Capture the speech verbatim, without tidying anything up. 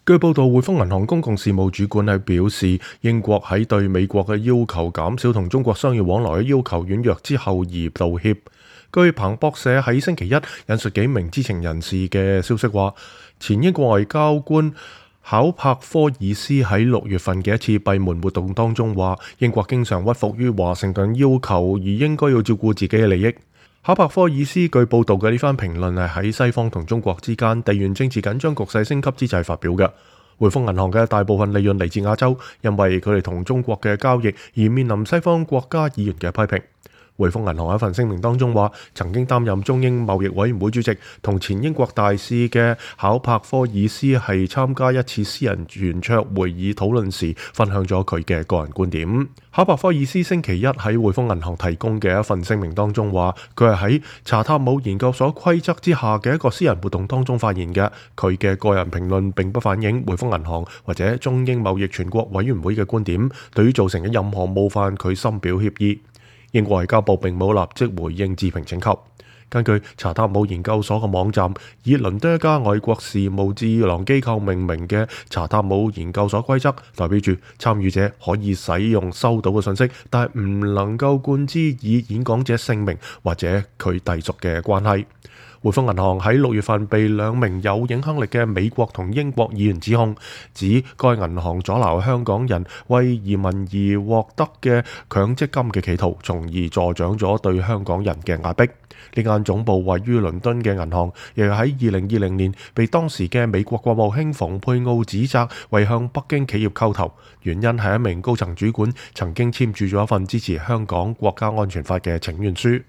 據報道，匯豐銀行公共事務主管係表示，英國喺對美國嘅要求減少同中國商業往來嘅要求軟弱之後而道歉。據彭博社喺星期一引述幾名知情人士嘅消息話，前英國外交官考柏科爾斯喺六月份嘅一次閉門活動當中話，英國經常屈服於華盛頓要求，而應該要照顧自己嘅利益。考柏科爾斯據報道嘅呢番評論係喺西方同中國之間地緣政治緊張局勢升級之際發表嘅。匯豐銀行嘅大部分利潤嚟自亞洲，因為佢哋同中國嘅交易而面臨西方國家議員嘅批評。匯豐銀行喺一份聲明當中話，曾經擔任中英貿易委員會主席同前英國大使嘅考柏科爾斯係參加一次私人圓桌會議討論時，分享咗佢嘅個人觀點。考柏科爾斯星期一喺匯豐銀行提供嘅一份聲明當中話，佢係喺查塔姆研究所規則之下嘅一個私人活動當中發言嘅，佢嘅個人評論並不反映匯豐銀行或者中英貿易全國委員會嘅觀點，對於造成嘅任何冒犯，佢深表歉意。英國外交部並冇立即回應置評請求。根據查塔姆研究所嘅網站，以倫敦一家外國事務智囊機構命名嘅查塔姆研究所規則，代表住參與者可以使用收到嘅信息，但係唔能夠冠之以演講者姓名或者佢隸屬嘅關係。匯豐銀行喺六月份被兩名有影響力嘅美國同英國議員指控，指該銀行阻撓香港人為移民而獲得嘅強積金嘅企圖，從而助長咗對香港人嘅壓迫。呢間總部位於倫敦嘅銀行，亦喺二零二零年被當時嘅美國國務卿蓬佩奧指責為向北京企業叩頭，原因係一名高層主管曾經簽署咗一份支持香港國家安全法嘅請願書。